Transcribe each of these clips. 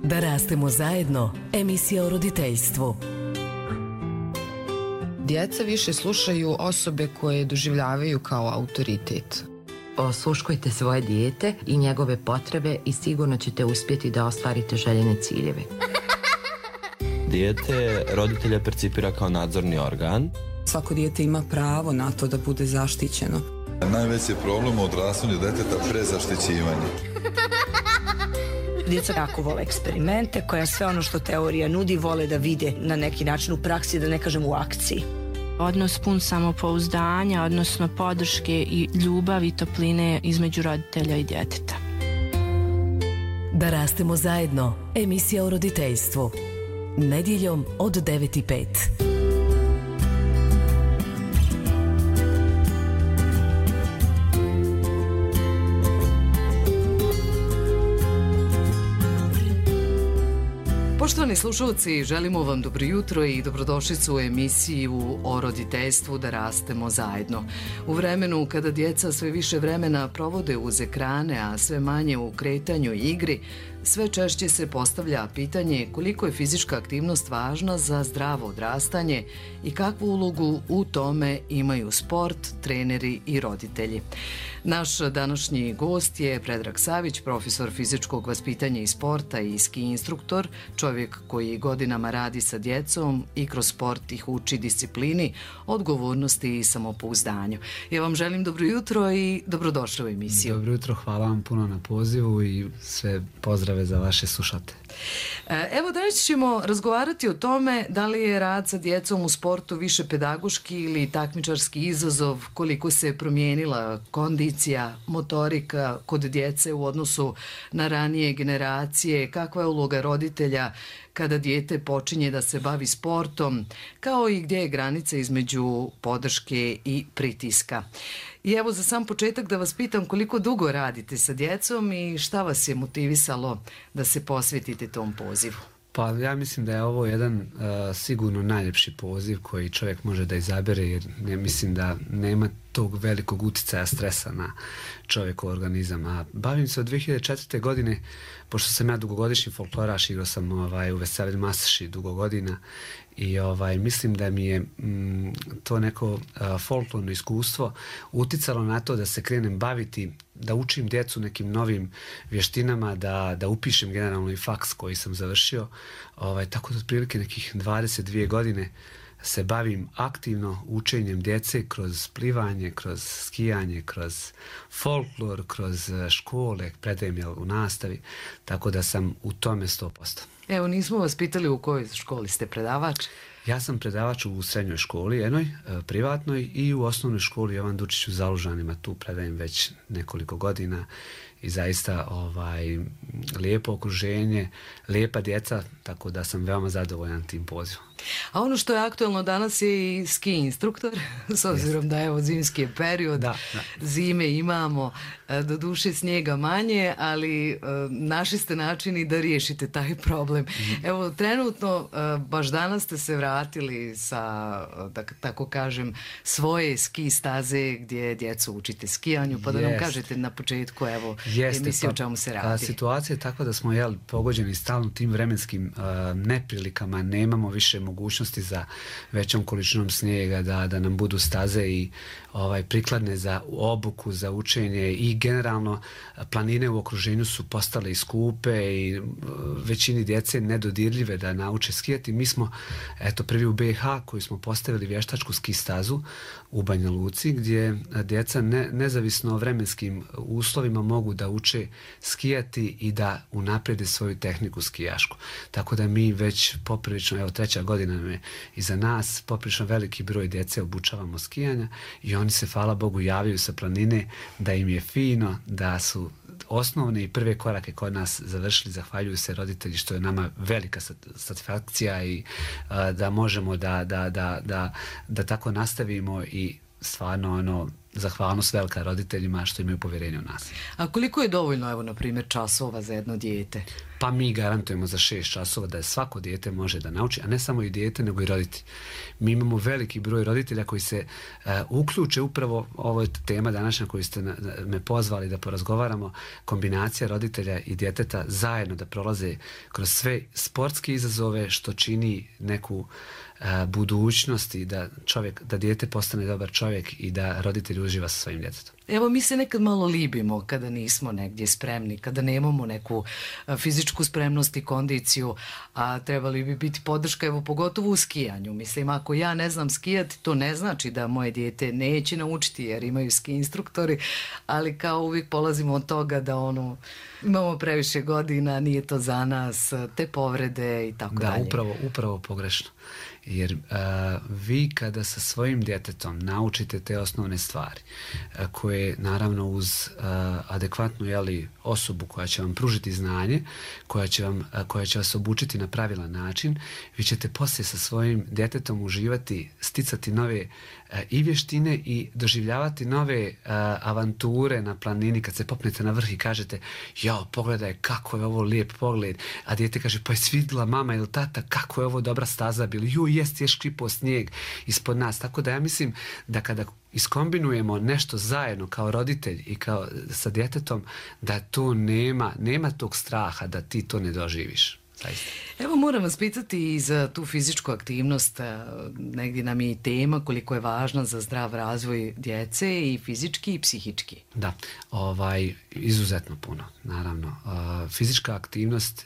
Da rastemo zajedno, emisija o roditeljstvu. Djeca više slušaju osobe koje doživljavaju kao autoritet. Osluškujte svoje dijete i njegove potrebe i sigurno ćete uspjeti da ostvarite željene ciljeve. Dijete roditelja percipira kao nadzorni organ. Svako dijete ima pravo na to da bude zaštićeno. Najveći problem u odrastanju djeteta prezaštićivanje. Djeca jako vole eksperimente, koja sve ono što teorija nudi vole da vide na neki način u praksi, da ne kažem u akciji. Odnos pun samopouzdanja, odnosno podrške i ljubavi i topline između roditelja i djeteta. Da rastemo zajedno, emisija o roditeljstvu. Nedjeljom od 9:05. Poštovani slušalci, želimo vam dobro jutro i dobrodošlicu u emisiju o roditeljstvu Da rastemo zajedno. U vremenu kada djeca sve više vremena provode uz ekrane, a sve manje u kretanju i igri, sve češće se postavlja pitanje koliko je fizička aktivnost važna za zdravo odrastanje i kakvu ulogu u tome imaju sport, treneri i roditelji. Naš današnji gost je Predrag Savić, profesor fizičkog vaspitanja i sporta i ski instruktor, čovjek koji godinama radi sa djecom i kroz sport ih uči disciplini, odgovornosti i samopouzdanju. Ja vam želim dobro jutro i dobrodošli u emisiju. Dobro jutro, hvala vam puno na pozivu i sve pozdrave za vaše slušate. Evo danas ćemo razgovarati o tome da li je rad sa djecom u sportu više pedagoški ili takmičarski izazov, koliko se promijenila kondicija, motorika kod djece u odnosu na ranije generacije, kakva je uloga roditelja kada dijete počinje da se bavi sportom, kao i gdje je granica između podrške i pritiska. I evo za sam početak da vas pitam koliko dugo radite sa djecom i šta vas je motivisalo da se posvetite tom pozivu? Pa ja mislim da je ovo jedan sigurno najljepši poziv koji čovjek može da izabere, jer ne mislim da nema tog velikog utjecaja stresa na čovjekov organizam. A bavim se od 2004. godine, pošto sam ja dugogodišnji folkloraš, igrao sam u Veselj Masaši dugo godina i mislim da mi je to neko folklorno iskustvo uticalo na to da se krenem baviti, da učim djecu nekim novim vještinama, da upišem generalno i faks koji sam završio. Tako da otprilike nekih 22 godine se bavim aktivno učenjem djece kroz plivanje, kroz skijanje, kroz folklor, kroz škole, predajem u nastavi, tako da sam u tome 100%. Evo, nismo vas pitali u kojoj školi ste predavač? Ja sam predavač u srednjoj školi, jednoj, privatnoj, i u osnovnoj školi Jovan Dučić u Zalužanima, tu predajem već nekoliko godina i zaista lijepo okruženje, lijepa djeca, tako da sam veoma zadovoljan tim pozivom. A ono što je aktualno danas je i ski instruktor, s obzirom da je zimski je period, zime imamo, do duše snijega manje, ali našli ste načini da riješite taj problem. Evo, trenutno, baš danas ste se vratili sa, da tako kažem, svoje ski staze gdje djecu učite skijanju, pa da nam kažete na početku, evo, emisije o čemu se radi. Situacija je takva da smo pogođeni stalno tim vremenskim neprilikama, nemamo više mogućnosti za većom količinom snijega da nam budu staze i prikladne za obuku, za učenje, i generalno planine u okruženju su postale i skupe i većini djece nedodirljive da nauče skijati. Mi smo prvi u BiH koji smo postavili vještačku ski stazu u Banja Luci, gdje djeca nezavisno o vremenskim uslovima mogu da uče skijati i da unaprijede svoju tehniku skijašku. Tako da mi već poprilično, 3. godina nam je iza nas, poprilično veliki broj djece obučavamo skijanja i oni se, hvala Bogu, javljaju sa planine da im je fino, da su osnovne i prve korake kod nas završili, zahvaljuju se roditelji, što je nama velika satisfakcija i da možemo da tako nastavimo i stvarno zahvalnost velika roditeljima što imaju povjerenje u nas. A koliko je dovoljno, evo, na primjer, časova za jedno dijete? pa mi garantujemo za 6 časova da je svako dijete može da nauči, a ne samo i dijete nego i roditelji. Mi imamo veliki broj roditelja koji se uključe upravo, ovo je tema današnja koju ste me pozvali da porazgovaramo, kombinacija roditelja i djeteta zajedno da prolaze kroz sve sportske izazove što čini neku budućnost i da dijete postane dobar čovjek i da roditelj uživa sa svojim djetetom. Evo, mi se nekad malo libimo kada nismo negdje spremni, kada nemamo neku fizičku spremnost i kondiciju, a trebali bi biti podrška, evo, pogotovo u skijanju. Mislim, ako ja ne znam skijati, to ne znači da moje dijete neće naučiti jer imaju ski instruktori, ali kao uvijek polazimo od toga da imamo previše godina, nije to za nas, te povrede i tako dalje. Da, upravo pogrešno. Jer vi kada sa svojim djetetom naučite te osnovne stvari koje naravno uz adekvatnu osobu koja će vam pružiti znanje, koja će vas obučiti na pravilan način, vi ćete poslije sa svojim djetetom uživati, sticati nove i vještine i doživljavati nove avanture na planini kad se popnete na vrh i kažete jao, pogledaj kako je ovo lijep pogled, a dijete kaže pa je svidjela mama ili tata kako je ovo dobra staza bili, jest škripao snijeg ispod nas. Tako da ja mislim da kada iskombinujemo nešto zajedno kao roditelj i kao sa djetetom, da to nema tog straha da ti to ne doživiš. Zaista. Evo, moram vas pitati i za tu fizičku aktivnost, negdje nam je i tema koliko je važna za zdrav razvoj djece i fizički i psihički. Da, izuzetno puno, naravno. Fizička aktivnost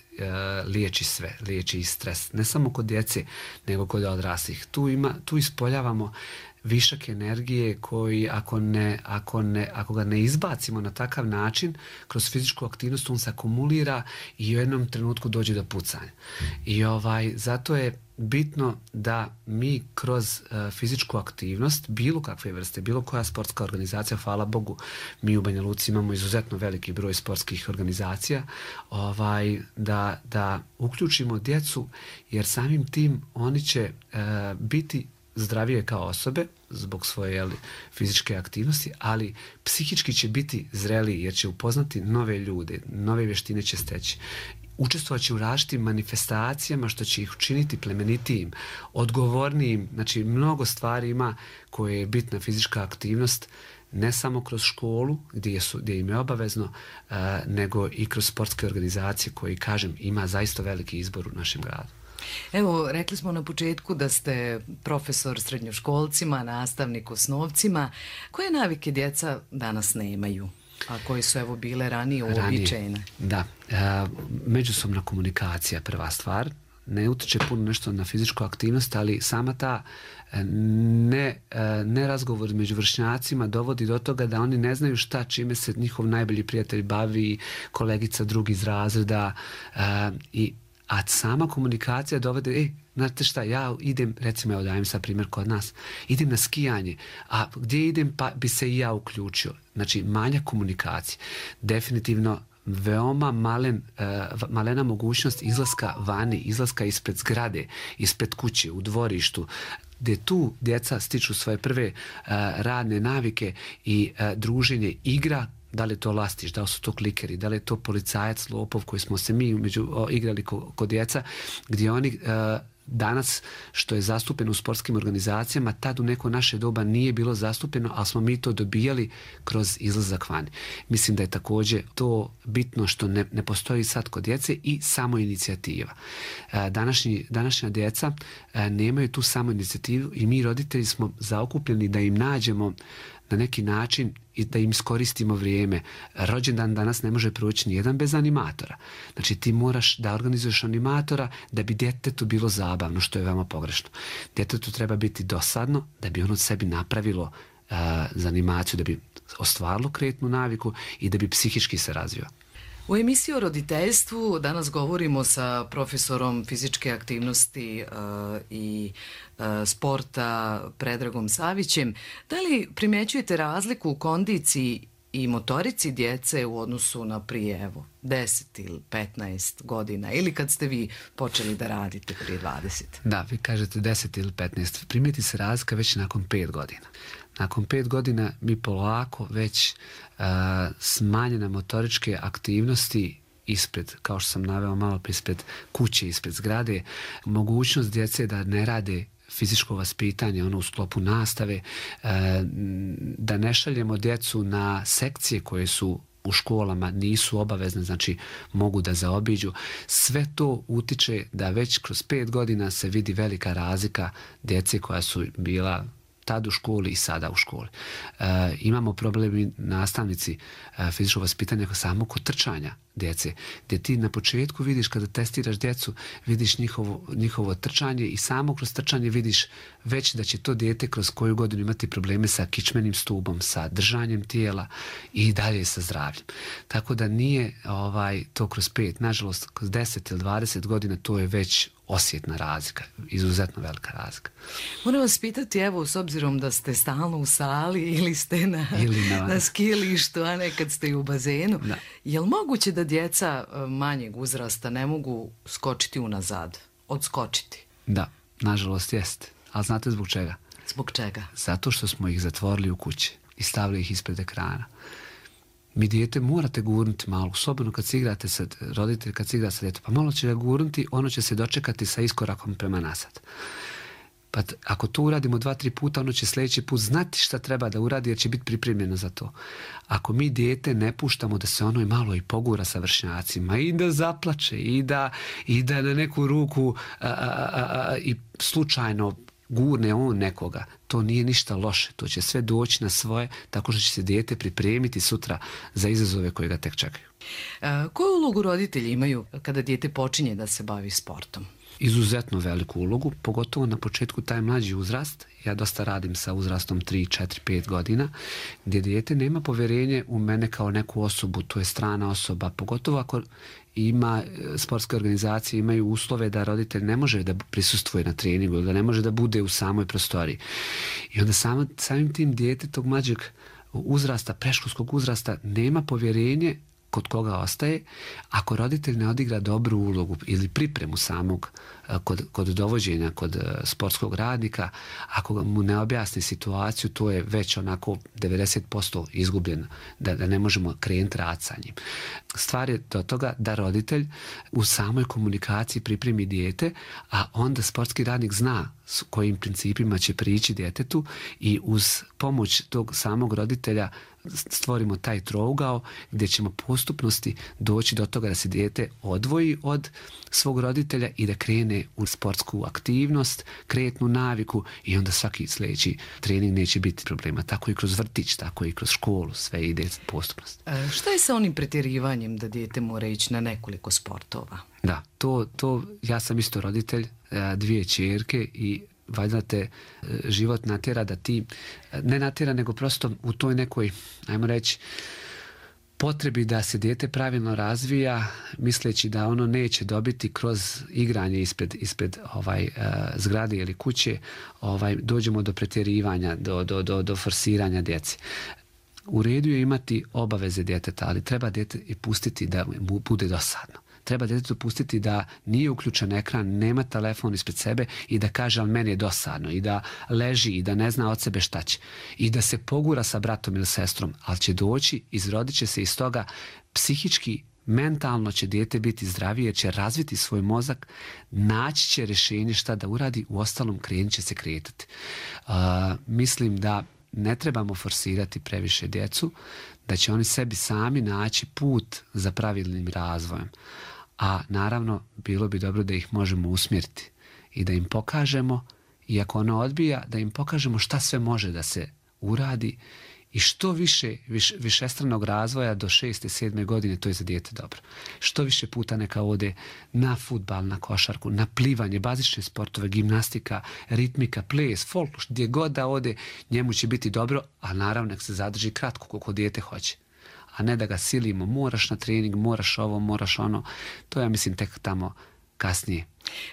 liječi sve, liječi i stres, ne samo kod djece, nego kod odraslih. Tu ispoljavamo višak energije koji ako ga ne izbacimo na takav način kroz fizičku aktivnost, on se akumulira i u jednom trenutku dođe do pucanja. I zato je bitno da mi kroz fizičku aktivnost bilo kakve vrste, bilo koja sportska organizacija, hvala Bogu, mi u Banja Luci imamo izuzetno veliki broj sportskih organizacija, da uključimo djecu, jer samim tim oni će biti zdravije kao osobe zbog svoje fizičke aktivnosti, ali psihički će biti zreliji jer će upoznati nove ljude, nove vještine će steći. Učestvovat će u različitim manifestacijama što će ih učiniti plemenitijim, odgovornijim. Znači, mnogo stvari ima koje je bitna fizička aktivnost, ne samo kroz školu gdje im je obavezno, nego i kroz sportske organizacije koji, kažem, ima zaista veliki izbor u našem gradu. Evo, rekli smo na početku da ste profesor srednjoškolcima, nastavnik osnovcima. Koje navike djeca danas nemaju, a koje su bile ranije uobičajene? Da, međusobna komunikacija prva stvar. Ne utiče puno nešto na fizičku aktivnost, ali sama ta ne razgovor među vršnjacima dovodi do toga da oni ne znaju čime se njihov najbolji prijatelj bavi, kolegica drugi iz razreda, a sama komunikacija dovede, znate šta, ja idem, recimo, dajem sad primjer kod nas, idem na skijanje, a gdje idem pa bi se i ja uključio. Znači, manja komunikacija. Definitivno veoma malena mogućnost izlaska vani, izlaska ispred zgrade, ispred kuće, u dvorištu, gdje tu djeca stiču svoje prve radne navike i druženje, igra. Da li je to lastiš, da li su to klikeri, da li je to policajac, lopov koji smo se mi igrali kod djeca, gdje oni danas, što je zastupeno u sportskim organizacijama, tad u neko naše doba nije bilo zastupeno, ali smo mi to dobijali kroz izlazak vani. Mislim da je također to bitno što ne postoji sad kod djece i samoinicijativa. Današnja djeca nemaju tu samoinicijativu i mi roditelji smo zaokupljeni da im nađemo na neki način i da im iskoristimo vrijeme. Rođendan danas ne može proći nijedan bez animatora. Znači, ti moraš da organizuješ animatora da bi djetetu bilo zabavno, što je veoma pogrešno. Djetetu treba biti dosadno da bi ono sebi napravilo za animaciju, da bi ostvarilo kretnu naviku i da bi psihički se razvio. U emisiji o roditeljstvu danas govorimo sa profesorom fizičke aktivnosti i sporta Predragom Savićem. Da li primjećujete razliku u kondiciji i motorici djece u odnosu na prije 10 ili 15 godina ili kad ste vi počeli da radite prije 20? Da, vi kažete 10 ili 15. Primijeti se razlika već nakon 5 godina. Nakon 5 godina mi polako već smanjene motoričke aktivnosti ispred, kao što sam naveo malo ispred kuće, ispred zgrade, mogućnost djece da ne rade fizičko vaspitanje, ono u sklopu nastave, da ne šaljemo djecu na sekcije koje su u školama, nisu obavezne, znači mogu da zaobiđu. Sve to utiče da već kroz 5 godina se vidi velika razlika djece koja su bila tad u školi i sada u školi. Imamo problemi nastavnici fizičkog vaspitanja samo kod trčanja djece, gdje ti na početku vidiš kada testiraš djecu, vidiš njihovo trčanje i samo kroz trčanje vidiš već da će to dijete kroz koju godinu imati probleme sa kičmenim stubom, sa držanjem tijela i dalje sa zdravljem. Tako da nije to kroz 5, nažalost kroz 10 ili 20 godina to je već osjetna razlika, izuzetno velika razlika. Moram vas pitati, evo, s obzirom da ste stalno u sali ili ste na skijalištu, a nekad ste i u bazenu, je li moguće da djeca manjeg uzrasta ne mogu skočiti unazad, odskočiti? Da, nažalost jeste. Ali znate zbog čega? Zbog čega? Zato što smo ih zatvorili u kući i stavili ih ispred ekrana. Mi dijete morate gurnuti malo, osobno kad se igrate sa roditelj, kad se igra sa djetom, pa malo će ga gurnuti, ono će se dočekati sa iskorakom prema nazad. Pa ako to uradimo 2-3 puta, ono će sljedeći put znati šta treba da uradi jer će biti pripremljeno za to. Ako mi dijete ne puštamo da se ono i malo i pogura sa vršnjacima i da zaplače i da na neku ruku i slučajno gurne on nekoga, to nije ništa loše. To će sve doći na svoje, tako što će se dijete pripremiti sutra za izazove koje ga tek čekaju. Koju ulogu roditelji imaju kada dijete počinje da se bavi sportom? Izuzetno veliku ulogu, pogotovo na početku taj mlađi uzrast. Ja dosta radim sa uzrastom 3, 4, 5 godina, gdje dijete nema povjerenje u mene kao neku osobu, to je strana osoba, pogotovo ako ima sportske organizacije, imaju uslove da roditelj ne može da prisustvuje na treningu, da ne može da bude u samoj prostoriji. I onda samim tim dijete tog mlađeg uzrasta, predškolskog uzrasta, nema povjerenje kod koga ostaje, ako roditelj ne odigra dobru ulogu ili pripremu samog kod dovođenja, kod sportskog radnika, ako mu ne objasni situaciju, to je već onako 90% izgubljeno, da ne možemo krenuti rad sa njim. Stvar je do toga da roditelj u samoj komunikaciji pripremi dijete, a onda sportski radnik zna s kojim principima će prići djetetu i uz pomoć tog samog roditelja stvorimo taj trougao gdje ćemo postupnosti doći do toga da se dijete odvoji od svog roditelja i da krene u sportsku aktivnost, kretnu naviku i onda svaki sljedeći trening neće biti problema. Tako i kroz vrtić, tako i kroz školu, sve ide postupnost. Šta je sa onim pretjerivanjem da dijete mora ići na nekoliko sportova? Da, to ja sam isto roditelj, 2 ćerke i valjda te život natjera da ti, ne natjera nego prosto u toj nekoj, ajmo reći, potrebi da se dijete pravilno razvija, misleći da ono neće dobiti kroz igranje ispred zgrade ili kuće, dođemo do pretjerivanja, do forsiranja djece. U redu je imati obaveze djeteta, ali treba dijete i pustiti da mu bude dosadno. Treba djetetu pustiti da nije uključen ekran, nema telefon ispred sebe i da kaže ali meni je dosadno i da leži i da ne zna od sebe šta će i da se pogura sa bratom ili sestrom, ali će doći, izrodit će se iz toga psihički, mentalno će dijete biti zdravije jer će razviti svoj mozak, naći će rješenje šta da uradi, u ostalom krenut će se kretati. Mislim da ne trebamo forsirati previše djecu, da će oni sebi sami naći put za pravilnim razvojem. A naravno, bilo bi dobro da ih možemo usmjeriti i da im pokažemo, i ako ono odbija, da im pokažemo šta sve može da se uradi i što više višestranog razvoja do 6. 7. godine, to je za dijete dobro. Što više puta neka ode na fudbal, na košarku, na plivanje, bazične sportove, gimnastika, ritmika, ples, folk, gdje god da ode, njemu će biti dobro, a naravno nek se zadrži kratko koliko dijete hoće. A ne da ga silimo, moraš na trening, moraš ovo, moraš ono. To ja mislim tek tamo kasnije.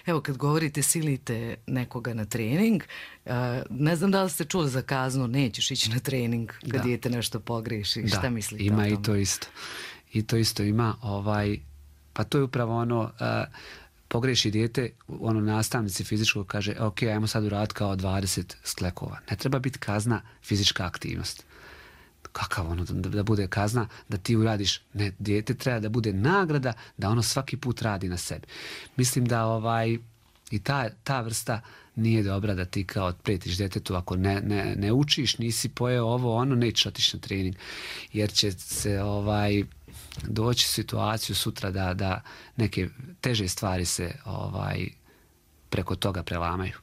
Evo, kad govorite silite nekoga na trening, ne znam da li ste čuli za kaznu, nećeš ići na trening kad dijete nešto pogreši. Šta mislite o tome? Ima i to isto. I to isto ima, pa to je upravo ono, pogreši dijete, ono nastavnici fizičkog kaže, ok, ajmo sad uraditi kao 20 sklekova. Ne treba biti kazna fizička aktivnost. Kakav ono, da bude kazna, da ti uradiš, ne, dijete treba da bude nagrada, da ono svaki put radi na sebi. Mislim da i ta vrsta nije dobra, da ti kao pretiš djetetu, ako ne učiš, nisi pojeo ovo, ono, nećeš otići na trening, jer će se doći u situaciju sutra da neke teže stvari se preko toga prelamaju.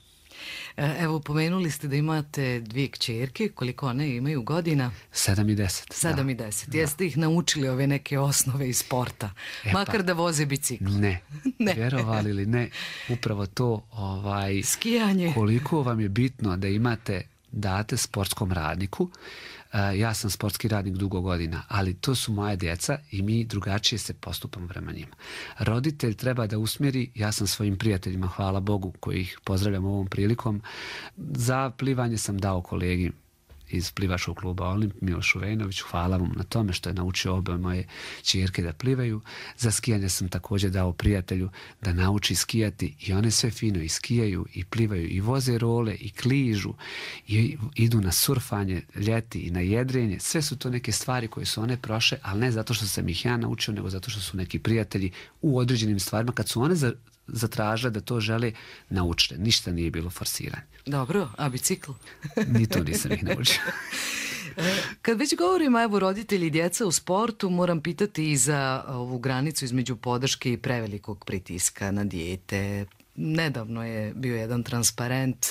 Evo, pomenuli ste da imate 2 kćerke, koliko one imaju godina? 7 i 10. 7 i 10. Jeste ih naučili ove neke osnove iz sporta? Makar da voze bicikl? Ne. Vjerovali ili ne, upravo to skijanje. Koliko vam je bitno da date sportskom radniku. Ja sam sportski radnik dugo godina, ali to su moja djeca i mi drugačije se postupamo prema njima. Roditelj treba da usmjeri, ja sam svojim prijateljima, hvala Bogu, koji ih pozdravljam ovom prilikom, za plivanje sam dao kolegi iz plivačkog kluba Olimp, Milošu Vejnoviću, hvala vam na tome što je naučio obe moje ćerke da plivaju. Za skijanje sam također dao prijatelju da nauči skijati i one sve fino i skijaju i plivaju i voze role i kližu i idu na surfanje ljeti i na jedrenje. Sve su to neke stvari koje su one prošle, ali ne zato što sam ih ja naučio, nego zato što su neki prijatelji u određenim stvarima, kad su one zatražile da to žele, naučile. Ništa nije bilo forsiranje. Dobro, a bicikl? Ni to nisam ih naučio. Kad već govorimo, evo, roditelji i djeca u sportu, moram pitati i za ovu granicu između podrške i prevelikog pritiska na dijete. Nedavno je bio jedan transparent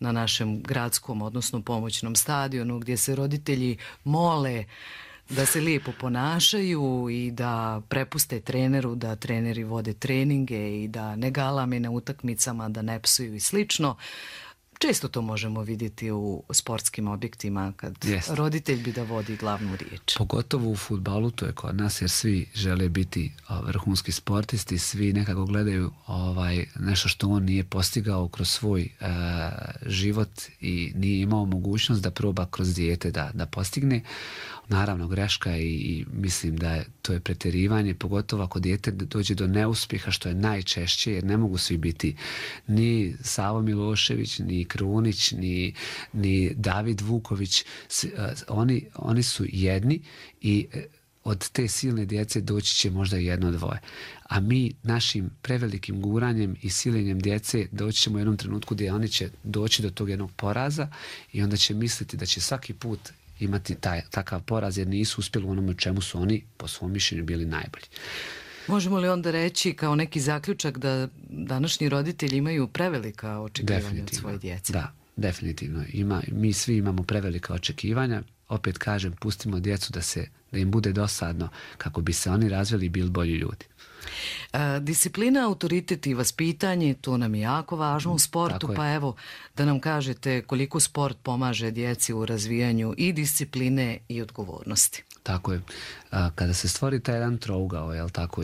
na našem gradskom, odnosno pomoćnom stadionu, gdje se roditelji mole da se lijepo ponašaju i da prepuste treneru, da treneri vode treninge i da ne galame na utakmicama, da ne psuju i slično. Često to možemo vidjeti u sportskim objektima kad roditelj bi da vodi glavnu riječ. Pogotovo u fudbalu, to je kod nas, jer svi žele biti vrhunski sportisti, svi nekako gledaju nešto što on nije postigao kroz svoj život i nije imao mogućnost da proba kroz dijete da postigne. Naravno, greška i mislim da to je pretjerivanje, pogotovo ako dijete dođe do neuspjeha, što je najčešće, jer ne mogu svi biti ni Savo Milošević, ni Krunić, ni David Vuković. Oni su jedni i od te silne djece doći će možda 1-2. A mi našim prevelikim guranjem i silenjem djece doći ćemo u jednom trenutku gdje oni će doći do tog jednog poraza i onda će misliti da će svaki put imati takav poraz, jer nisu uspjeli u onome čemu su oni po svom mišljenju bili najbolji. Možemo li onda reći kao neki zaključak da današnji roditelji imaju prevelika očekivanja od svoje djece? Da, definitivno. Mi svi imamo prevelika očekivanja. Opet kažem, pustimo djecu da im bude dosadno kako bi se oni razvili i bili bolji ljudi. Disciplina, autoritet i vaspitanje, to nam je jako važno u sportu, pa evo da nam kažete koliko sport pomaže djeci u razvijanju i discipline i odgovornosti. Tako je. Kada se stvori taj jedan trougao,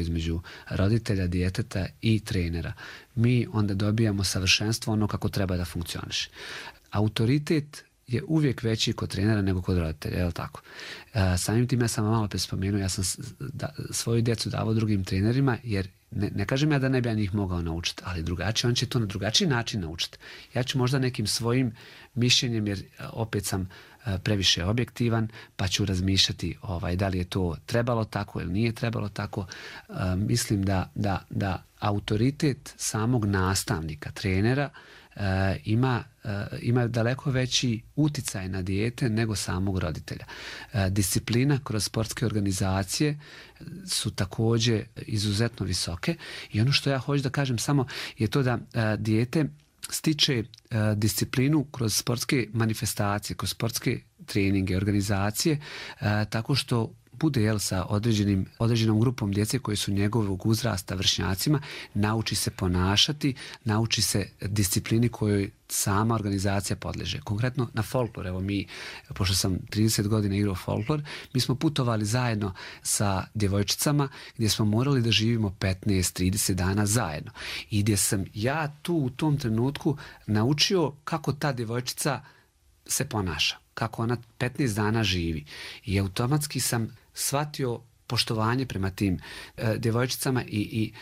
između roditelja, djeteta i trenera, mi onda dobijamo savršenstvo ono kako treba da funkcioniše. Autoritet je uvijek veći kod trenera nego kod roditelja, je li tako? Samim tim ja sam malo prije spomenuo, ja sam svoju djecu davao drugim trenerima, jer ne kažem ja da ne bi ja njih mogao naučiti, ali drugačije, on će to na drugačiji način naučiti. Ja ću možda nekim svojim mišljenjem, jer opet sam previše objektivan, pa ću razmišljati da li je to trebalo tako ili nije trebalo tako. Mislim da autoritet samog nastavnika, trenera, ima daleko veći uticaj na dijete nego samog roditelja. Disciplina kroz sportske organizacije su također izuzetno visoke i ono što ja hoću da kažem samo je to da dijete stiče disciplinu kroz sportske manifestacije, kroz sportske treninge, organizacije, tako što bude sa određenom grupom djece koji su njegovog uzrasta, vršnjacima, nauči se ponašati, nauči se disciplini kojoj sama organizacija podleže. Konkretno na folklor, evo mi, pošto sam 30 godina igrao folklor, mi smo putovali zajedno sa djevojčicama gdje smo morali da živimo 15-30 dana zajedno. I gdje sam ja tu u tom trenutku naučio kako ta djevojčica se ponaša, kako ona 15 dana živi. I automatski sam shvatio poštovanje prema tim djevojčicama i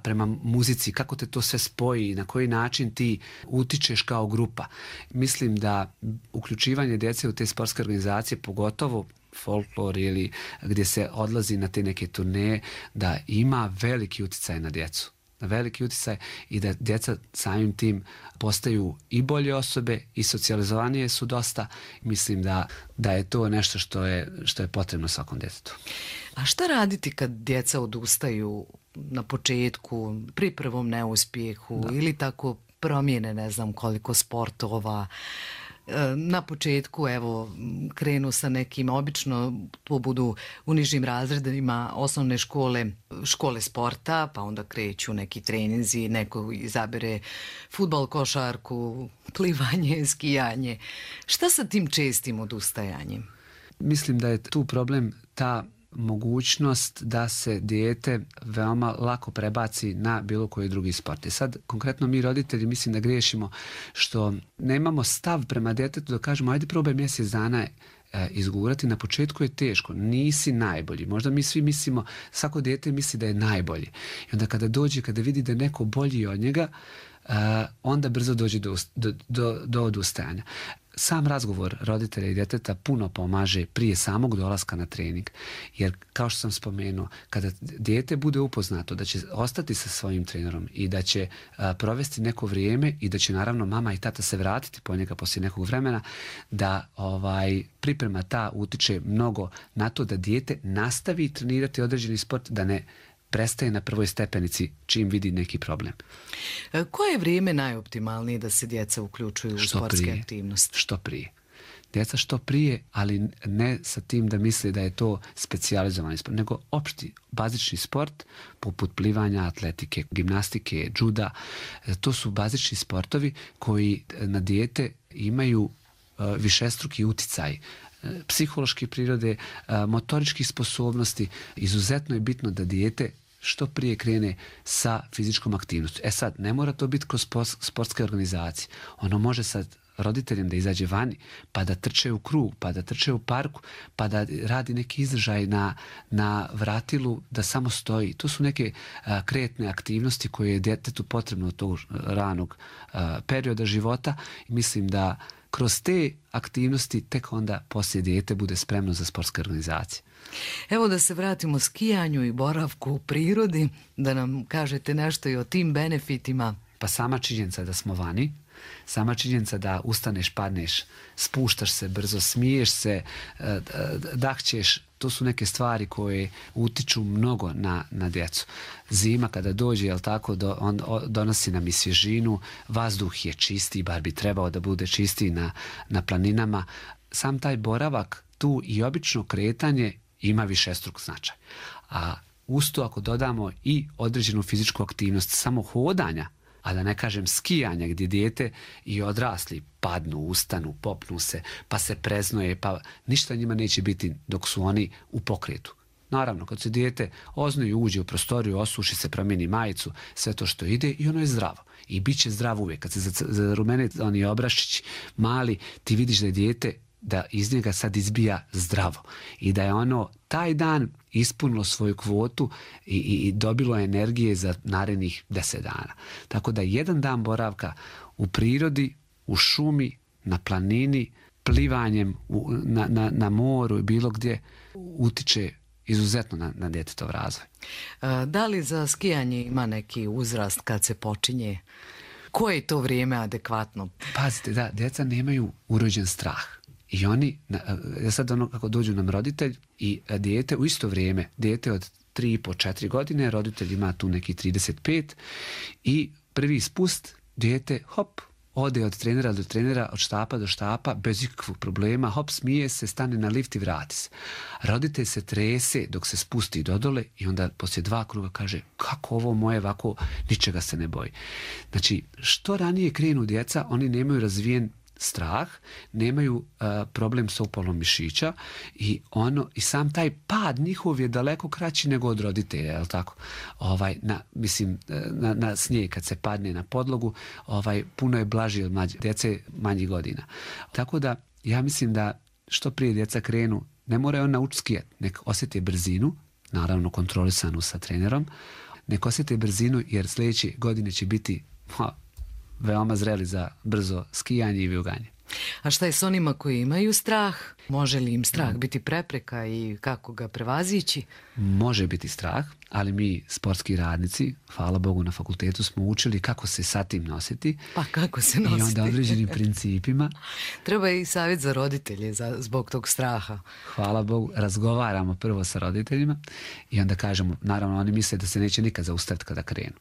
prema muzici, kako te to sve spoji i na koji način ti utičeš kao grupa. Mislim da uključivanje djece u te sportske organizacije, pogotovo folklor ili gdje se odlazi na te neke turneje, da ima veliki utjecaj na djecu. Veliki utjecaj i da djeca samim tim postaju i bolje osobe i socijalizovanije su dosta. Mislim da je to nešto što je potrebno svakom djetetu. A šta raditi kad djeca odustaju na početku, pri prvom neuspjehu ili tako promijene ne znam koliko sportova? Na početku evo krenu sa nekim, obično to budu u nižim razredima osnovne škole sporta, pa onda kreću neki treninzi, neko izabere fudbal, košarku, plivanje, skijanje. Šta sa tim čestim odustajanjem? Mislim da je tu problem ta mogućnost da se dijete veoma lako prebaci na bilo koji drugi sport. I sad, konkretno mi roditelji mislim da griješimo što nemamo stav prema djetetu da kažemo ajde probaj mjesec dana izgurati. Na početku je teško, nisi najbolji. Možda mi svi mislimo, svako dijete misli da je najbolji. I onda kada vidi da je neko bolji od njega, onda brzo dođe do odustajanja. Sam razgovor roditelja i djeteta puno pomaže prije samog dolaska na trening. Jer, kao što sam spomenuo, kada dijete bude upoznato da će ostati sa svojim trenerom i da će provesti neko vrijeme i da će naravno mama i tata se vratiti po njega poslije nekog vremena, da priprema ta utiče mnogo na to da dijete nastavi trenirati određeni sport, da ne prestaje na prvoj stepenici čim vidi neki problem. Koje je vrijeme najoptimalnije da se djeca uključuju u sportske aktivnosti? Što prije. Djeca što prije, ali ne sa tim da misle da je to specijalizovani sport, nego opšti, bazični sport, poput plivanja, atletike, gimnastike, džuda. To su bazični sportovi koji na dijete imaju višestruki uticaj, psihološke prirode, motoričkih sposobnosti. Izuzetno je bitno da dijete što prije krene sa fizičkom aktivnosti. Sad, ne mora to biti kroz sportske organizacije. Ono može sad roditeljem da izađe vani, pa da trče u krug, pa da trče u parku, pa da radi neki izdržaj na vratilu, da samo stoji. To su neke kretne aktivnosti koje je djetetu potrebno od tog ranog perioda života. I mislim da kroz te aktivnosti tek onda poslije dijete bude spremno za sportske organizacije. Evo da se vratimo skijanju i boravku u prirodi, da nam kažete nešto i o tim benefitima. Pa sama činjenica da smo vani, sama činjenica da ustaneš, padneš, spuštaš se brzo, smiješ se, dahćeš, to su neke stvari koje utiču mnogo na djecu. Zima kada dođe, jel tako, on donosi nam i svježinu, vazduh je čistiji, bar bi trebao da bude čistiji na planinama. Sam taj boravak tu i obično kretanje ima višestruk značaj. A uz to ako dodamo i određenu fizičku aktivnost, samo hodanja, a da ne kažem skijanja gdje dijete i odrasli padnu, ustanu, popnu se, pa se preznoje, pa ništa njima neće biti dok su oni u pokretu. Naravno, kad se dijete oznoji, uđe u prostoriju, osuši se, promijeni majicu, sve to što ide i ono je zdravo. I bit će zdravo uvijek. Kad se zarumene oni obrašići mali, ti vidiš da je dijete, da iz njega sad izbija zdravo i da je ono taj dan ispunilo svoju kvotu i dobilo energije za narednih 10 dana. Tako da jedan dan boravka u prirodi, u šumi, na planini, plivanjem na moru i bilo gdje utiče izuzetno na djetetov razvoj. Da li za skijanje ima neki uzrast kad se počinje? Koje je to vrijeme adekvatno? Pazite, da, djeca nemaju urođen strah. I oni, sad ono kako dođu nam roditelj i dijete u isto vrijeme, dijete od 3,5-4 godine, roditelj ima tu neki 35 i prvi spust, dijete hop, ode od trenera do trenera, od štapa do štapa, bez ikakvog problema, hop, smije se, stane na lift i vrati se. Roditelj se trese dok se spusti dodole i onda poslije 2 kruga kaže kako ovo moje ovako, ničega se ne boji. Znači, što ranije krenu djeca, oni nemaju razvijen strah, nemaju problem sa upalom mišića i sam taj pad njihov je daleko kraći nego od roditelja, je li tako? Na snijeg kad se padne na podlogu, puno je blaži od djece manjih godina. Tako da ja mislim da što prije djeca krenu, ne moraju naučiti skijati, nek osjete brzinu, naravno kontrolisanu sa trenerom, nek osjete brzinu jer sljedeće godine će biti veoma zreli za brzo skijanje i vijuganje. A šta je s onima koji imaju strah? Može li im strah biti prepreka i kako ga prevazići? Može biti strah, ali mi sportski radnici, hvala Bogu na fakultetu, smo učili kako se sa tim nositi. Pa kako se nositi? I onda određenim principima. Treba i savjet za roditelje zbog tog straha. Hvala Bogu, razgovaramo prvo sa roditeljima i onda kažemo, naravno oni misle da se neće nikad zaustaviti kada krenu.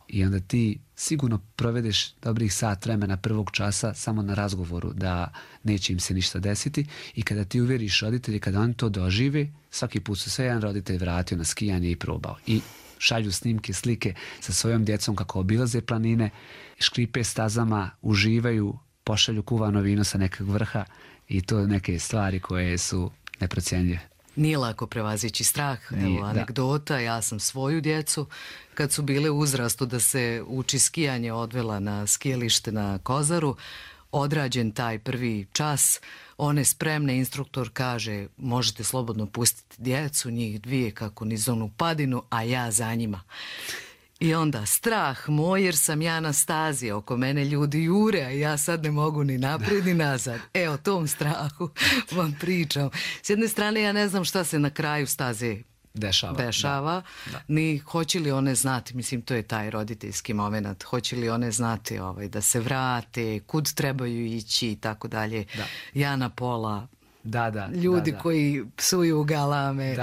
I onda ti sigurno provedeš dobrih sat vremena prvog časa samo na razgovoru da neće im se ništa desiti i kada ti uvjeriš roditelji, kada oni to dožive, svaki put su sve jedan roditelj vratio na skijanje i probao. I šalju snimke, slike sa svojom djecom kako obilaze planine, škripe stazama, uživaju, pošalju kuvano vino sa nekog vrha i to neke stvari koje su neprocjenjive. Nije lako prevazići strah. Evo, anegdota, ja sam svoju djecu, kad su bile u uzrastu da se uči skijanje, odvela na skijalište na Kozaru, odrađen taj prvi čas, one spremne, instruktor kaže možete slobodno pustiti djecu, njih dvije kako niz onu padinu, a ja za njima. I onda strah moj jer sam ja na stazi, oko mene ljudi jure, a ja sad ne mogu ni naprijed ni nazad. O tom strahu vam pričam. S jedne strane ja ne znam šta se na kraju staze dešava. Ni hoće li one znati, mislim to je taj roditeljski moment, hoće li one znati da se vrate, kud trebaju ići i tako dalje. Ja na pola. Ljudi koji psuju galame,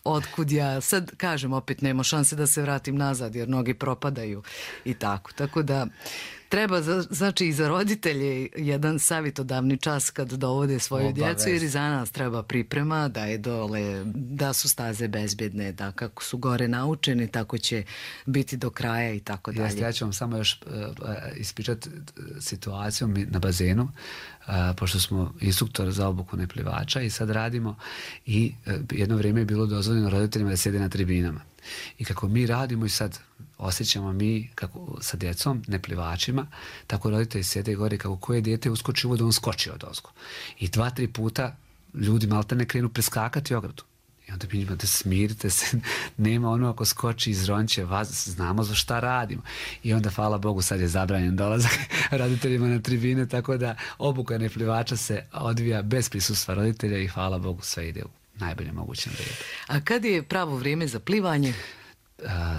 otkud ja, sad kažem opet nema šanse da se vratim nazad jer mnogi propadaju i tako da treba znači i za roditelje jedan savjetodavni čas kad dovode svoju djecu jer i za nas treba priprema da je dole, da su staze bezbjedne, da kako su gore naučeni tako će biti do kraja i tako dalje. Ja ću vam samo još ispričati situaciju na bazenu, pošto smo instruktor za obuku neplivača i sad radimo i jedno vrijeme je bilo dozvoljeno roditeljima da sjede na tribinama. I kako mi radimo i sad osjećamo mi kako sa djecom, neplivačima, tako roditelji sjede gore kako koje dijete uskoči u vodu, on skoči od ozgo. I 2-3 puta ljudi maltene krenu preskakati ogradu. I onda mi njima da smirite se, nema ono ako skoči iz ronće vas, znamo za šta radimo. I onda, hvala Bogu, sad je zabranjen dolazak roditeljima na tribine, tako da obuka neplivača se odvija bez prisustva roditelja i hvala Bogu sve ide u najbolje mogućem redu. A kad je pravo vrijeme za plivanje?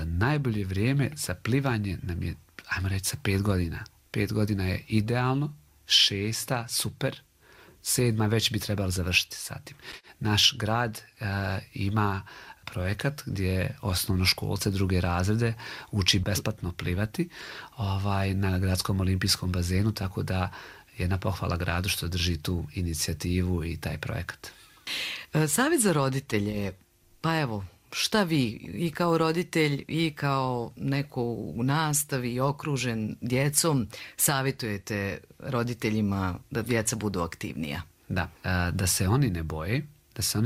Najbolje vrijeme za plivanje nam je, ajmo reći, sa 5 godina. 5 godina je idealno, 6 super, 7 već bi trebalo završiti sa tim. Naš grad ima projekat gdje osnovnoškolce 2. razrede uči besplatno plivati na gradskom olimpijskom bazenu, tako da jedna pohvala gradu što drži tu inicijativu i taj projekat. Savjet za roditelje, pa evo, šta vi i kao roditelj i kao neko u nastavi i okružen djecom savjetujete roditeljima da djeca budu aktivnija? Da se oni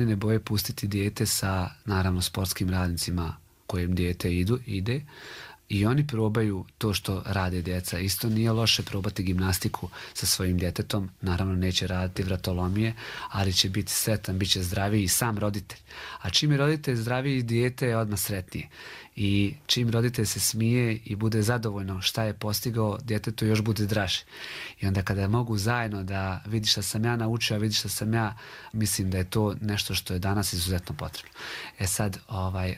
ne boje pustiti dijete sa, naravno, sportskim radnicima kojim dijete ide i oni probaju to što rade djeca. Isto nije loše probati gimnastiku sa svojim djetetom, naravno neće raditi vratolomije, ali će biti sretan, bit će zdraviji i sam roditelj. A čim je roditelj zdraviji, dijete je odmah sretnije. I čim roditelj se smije i bude zadovoljno šta je postigao, djetetu još bude draže. I onda kada mogu zajedno da vidi šta sam ja naučio, a vidi šta sam ja, mislim da je to nešto što je danas izuzetno potrebno. Sad,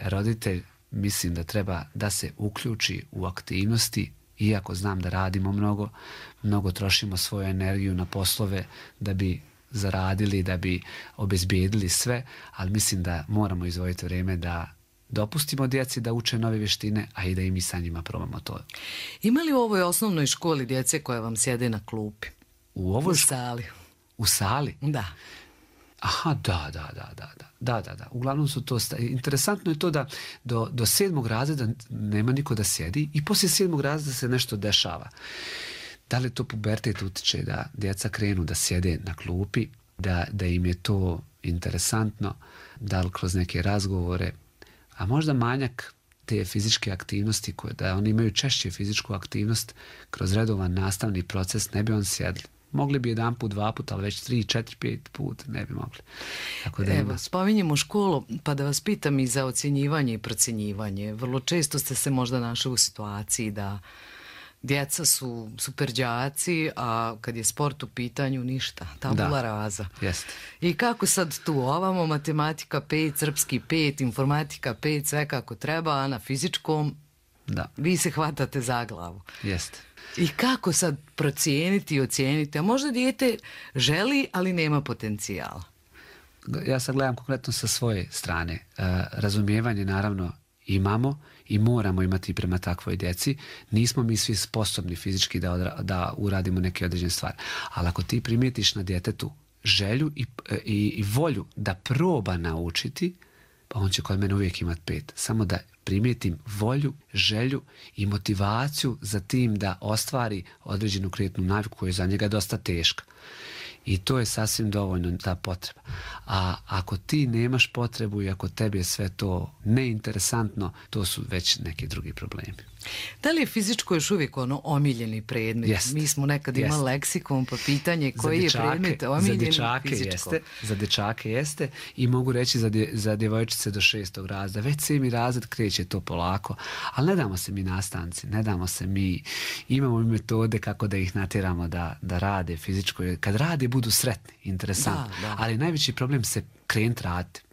roditelj mislim da treba da se uključi u aktivnosti, iako znam da radimo mnogo trošimo svoju energiju na poslove da bi zaradili, da bi obezbijedili sve, ali mislim da moramo izdvojiti vrijeme da dopustimo djeci da uče nove vještine, a i da i mi sa njima probamo to. Ima li u ovoj osnovnoj školi djece koja vam sjede na klupi? U sali? U sali? Da. Aha, da. Uglavnom su to... Interesantno je to da do 7. razreda nema niko da sjedi i poslije 7. razreda se nešto dešava. Da li to pubertet utiče da djeca krenu da sjede na klupi, da im je to interesantno, da li kroz neke razgovore, a možda manjak te fizičke aktivnosti, da oni imaju češće fizičku aktivnost kroz redovan nastavni proces, ne bi on sjedli. Mogli bi 1 put, 2 puta, ali već 3, 4, 5 put ne bi mogli. Evo, spominjemo školu, pa da vas pitam i za ocjenjivanje i procjenjivanje. Vrlo često ste se možda našli u situaciji da djeca su super đaci, a kad je sport u pitanju ništa, tabula rasa. Jeste. I kako sad tu ovamo, matematika 5, srpski 5, informatika 5, sve kako treba, a na fizičkom vi se hvatate za glavu. Jeste. I kako sad procijeniti i ocijeniti, a možda dijete želi, ali nema potencijala? Ja sad gledam konkretno sa svoje strane. Razumijevanje naravno imamo i moramo imati prema takvoj djeci. Nismo mi svi sposobni fizički da uradimo neke određene stvari. Ali ako ti primijetiš na djetetu želju i volju da proba naučiti, pa on će kod mene uvijek imati 5. Samo da primijetim volju, želju i motivaciju za tim da ostvari određenu kretnu naviku koja je za njega dosta teška. I to je sasvim dovoljno ta potreba. A ako ti nemaš potrebu i ako tebi je sve to neinteresantno, to su već neki drugi problemi. Da li je fizičko još uvijek omiljeni predmet? Jest. Mi smo nekad imali leksikon, pa pitanje koji je predmet omiljeni fizičko? Za dječake jeste i mogu reći za djevojčice do 6. razreda. Već 7. razred kreće to polako, ali ne damo se mi nastavnici, ne damo se mi. Imamo metode kako da ih natjeramo da rade fizičko. Kad rade budu sretni, interesantni. Ali najveći problem se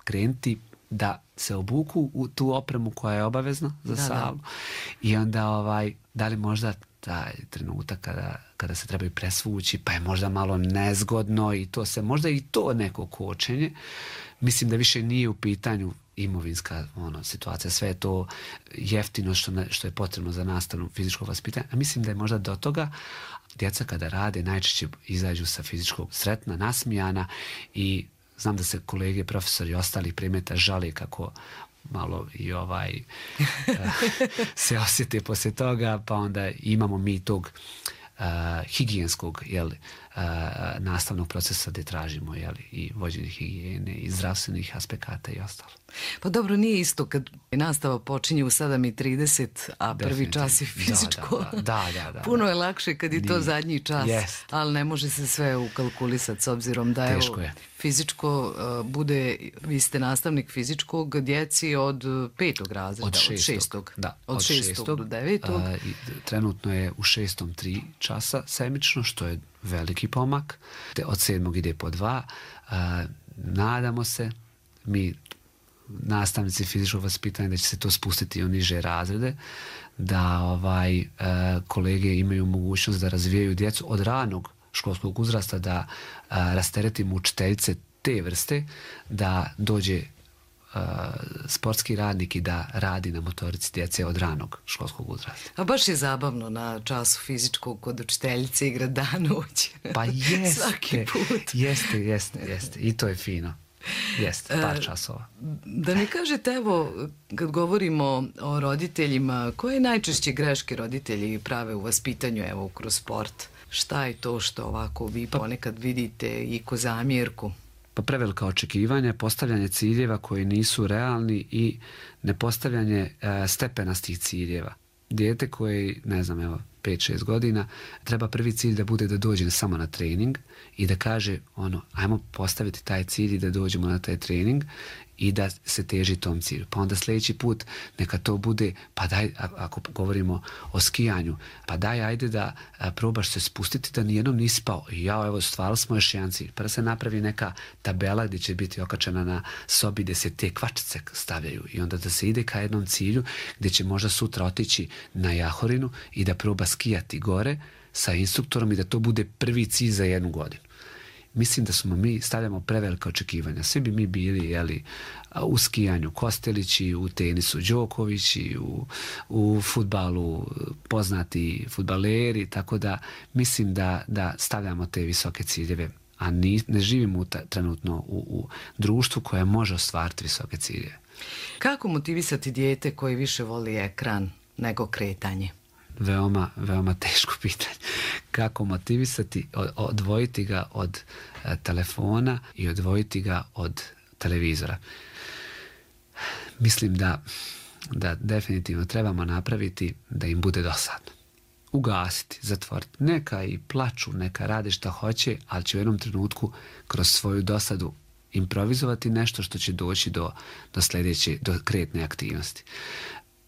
krenuti da se obuku u tu opremu koja je obavezna za salu i onda da li možda taj trenutak kada se trebaju presvući pa je možda malo nezgodno i to se možda i to neko kočenje. Mislim da više nije u pitanju imovinska situacija, sve je to jeftino što je potrebno za nastavno fizičko vaspitanje, a mislim da je možda do toga djeca kada rade najčešće izađu sa fizičkog sretna, nasmijana i znam da se kolege, profesori i ostalih predmeta žale kako malo i se osjete poslije toga, pa onda imamo mi tog higijenskog nastavnog procesa gdje tražimo i vođenje higijene i zdravstvenih aspekata i ostalo. Pa dobro, nije isto kad nastava počinje u 7:30, a prvi čas je fizičko. Da. Puno je lakše kad je to zadnji čas, ali ne može se sve ukalkulisati s obzirom da fizičko bude, vi ste nastavnik fizičkog djeci od 5. razreda, od 6. Od 6. do 9. Trenutno je u 6. 3 časa semično, što je veliki pomak. Od 7. ide po 2. Nadamo se, mi nastavnici fizičkog vaspitanja, da će se to spustiti u niže razrede, da kolege imaju mogućnost da razvijaju djecu od ranog školskog uzrasta, da rasteretimo učiteljice te vrste, da dođe sportski radnik i da radi na motorici djece od ranog školskog uzrasta. A baš je zabavno na času fizičkog kod učiteljice igrati dan-noć. Pa jeste. Svaki put. Jeste. I to je fino. Jeste, par časova. Da mi kažete, evo, kad govorimo o roditeljima, koje najčešće greške roditelji prave u vaspitanju, evo, kroz sport? Šta je to što ovako vi ponekad vidite i ko zamjerku? Pa prevelika očekivanja, postavljanje ciljeva koji nisu realni i nepostavljanje stepenastih ciljeva. Dijete koje, 5-6 godina, treba prvi cilj da bude da dođe samo na trening i da kaže ajmo postaviti taj cilj i da dođemo na taj trening i da se teži tom cilju. Pa onda sljedeći put neka to bude, pa daj, ako govorimo o skijanju, pa daj, ajde da probaš se spustiti da nijednom nisi pao. I evo, stvarali smo još jedan cilj. Pa da se napravi neka tabela gdje će biti okačena na sobi gdje se te kvačice stavljaju i onda da se ide ka jednom cilju gdje će možda sutra otići na Jahorinu i da proba skijati gore sa instruktorom i da to bude prvi cilj za 1 godinu. Mislim da mi stavljamo prevelika očekivanja. Svi bi mi bili u skijanju Kostelići, u tenisu Đokovići, u fudbalu poznati fudbaleri, tako da mislim da stavljamo te visoke ciljeve, a ne živimo trenutno u društvu koje može ostvariti visoke ciljeve. Kako motivisati dijete koji više voli ekran nego kretanje? Veoma teško pitanje. Kako motivisati, odvojiti ga od telefona i odvojiti ga od televizora. Mislim da definitivno trebamo napraviti da im bude dosadno. Ugasiti, zatvoriti. Neka i plaču, neka rade šta hoće, ali će u jednom trenutku kroz svoju dosadu improvizovati nešto što će doći do sljedeće, do kretne aktivnosti.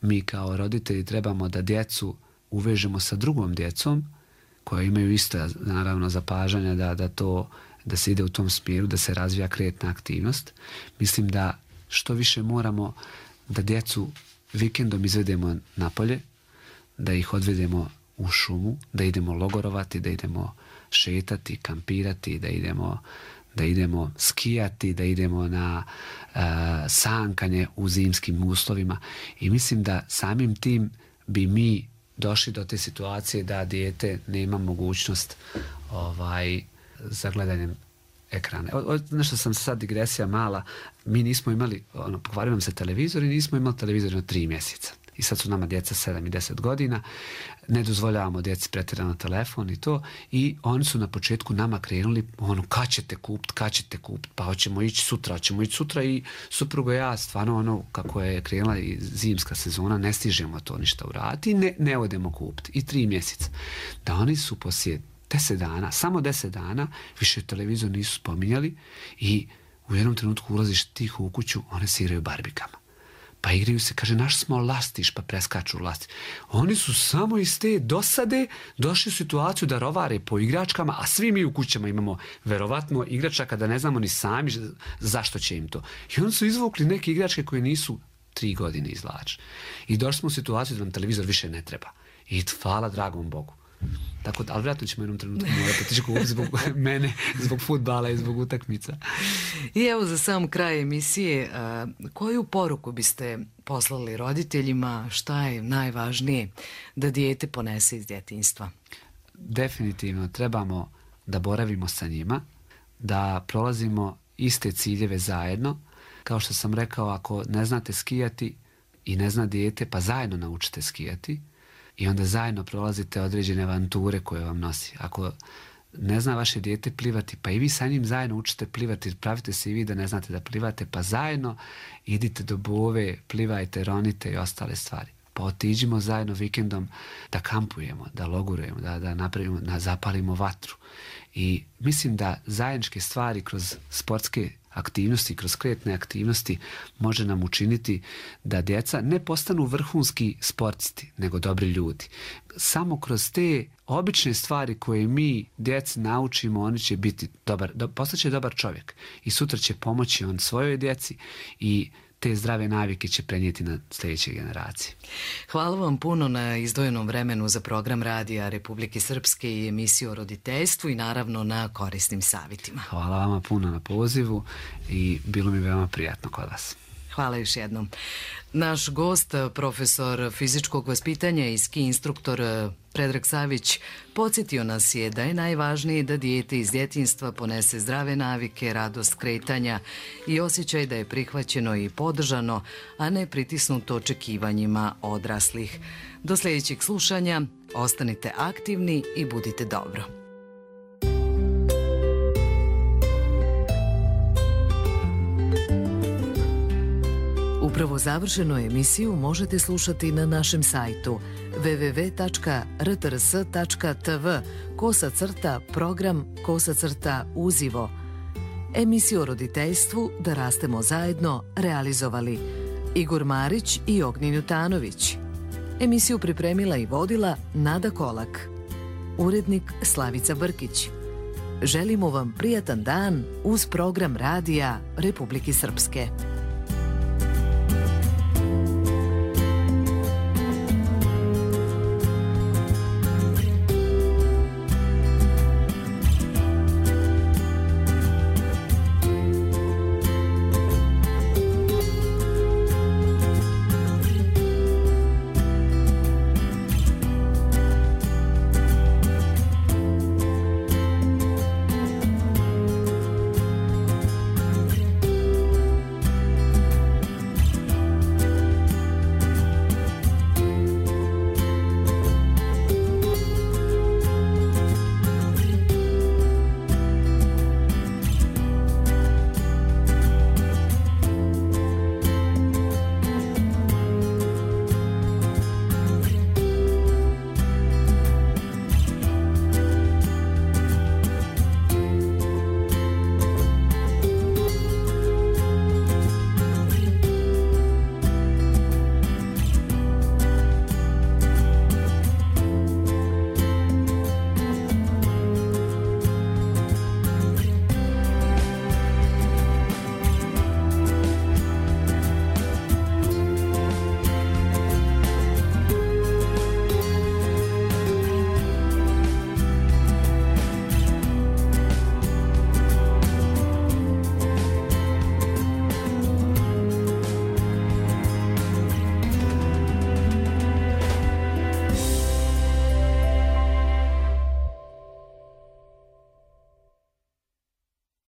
Mi kao roditelji trebamo da djecu uvežemo sa drugom djecom koja imaju isto, naravno, zapažanja da se ide u tom smjeru, da se razvija kretna aktivnost. Mislim da što više moramo da djecu vikendom izvedemo napolje, da ih odvedemo u šumu, da idemo logorovati, da idemo šetati, kampirati, da idemo skijati, da idemo na sankanje u zimskim uslovima. I mislim da samim tim bi mi došli do te situacije da dijete nema mogućnost za gledanjem ekrana. Nešto sam sad digresija mala. Mi nismo imali, pokvario nam se televizor i nismo imali televizor na 3 mjeseca. I sad su nama djeca 7 i 10 godina. Ne dozvoljavamo djeci pretjerano telefon i to. I oni su na početku nama krenuli, kad ćete kupiti, pa hoćemo ići sutra i suprugo ja stvarno kako je krenula i zimska sezona, ne stižemo to ništa uraditi i ne odemo kupiti. I 3 mjeseca. Da oni su poslije 10 dana, samo 10 dana, više televizor nisu spominjali i u jednom trenutku ulaziš tiho u kuću, one se igraju barbikama. Pa igraju se, kaže, naš smo lastiš, pa preskaču lastiš. Oni su samo iz te dosade došli u situaciju da rovare po igračkama, a svi mi u kućama imamo verovatno igračaka da ne znamo ni sami zašto će im to. I oni su izvukli neke igračke koje nisu 3 godine izvlače. I došli smo u situaciju da nam televizor više ne treba. I hvala dragom Bogu. Tako da, ali vjerojatno ćemo jednom trenutku morati otići kupiti zbog mene, zbog fudbala i zbog utakmica. I evo za sam kraj emisije, koju poruku biste poslali roditeljima, šta je najvažnije da dijete ponese iz djetinjstva? Definitivno trebamo da boravimo sa njima, da prolazimo iste ciljeve zajedno. Kao što sam rekao, ako ne znate skijati i ne zna dijete, pa zajedno naučite skijati. I onda zajedno prolazite određene avanture koje vam nosi. Ako ne zna vaše dijete plivati, pa i vi sa njim zajedno učite plivati, pravite se i vi da ne znate da plivate, pa zajedno idite do bove, plivajte, ronite i ostale stvari. Pa otiđimo zajedno vikendom da kampujemo, da logurujemo, da napravimo, da zapalimo vatru. I mislim da zajedničke stvari kroz sportske aktivnosti, kroz kretne aktivnosti može nam učiniti da djeca ne postanu vrhunski sportisti, nego dobri ljudi. Samo kroz te obične stvari koje mi djeci naučimo, oni će biti postaće dobar čovjek i sutra će pomoći on svojoj djeci i te zdrave navike će prenijeti na sljedeće generacije. Hvala vam puno na izdvojenom vremenu za program Radija Republike Srpske i emisiju o roditeljstvu i naravno na korisnim savjetima. Hvala vama puno na pozivu i bilo mi veoma prijatno kod vas. Hvala još jednom. Naš gost, profesor fizičkog vaspitanja i ski instruktor Predrag Savić, podsjetio nas je da je najvažnije da dijete iz djetinjstva ponese zdrave navike, radost kretanja i osjećaj da je prihvaćeno i podržano, a ne pritisnuto očekivanjima odraslih. Do sljedećeg slušanja, ostanite aktivni i budite dobro. Upravo završenu emisiju možete slušati na našem sajtu www.rtrs.tv/program/uzivo. Emisiju o roditeljstvu Da rastemo zajedno realizovali Igor Marić i Ognjen Jutanović. Emisiju pripremila i vodila Nada Kolak. Urednik Slavica Brkić. Želimo vam prijatan dan uz program Radija Republike Srpske.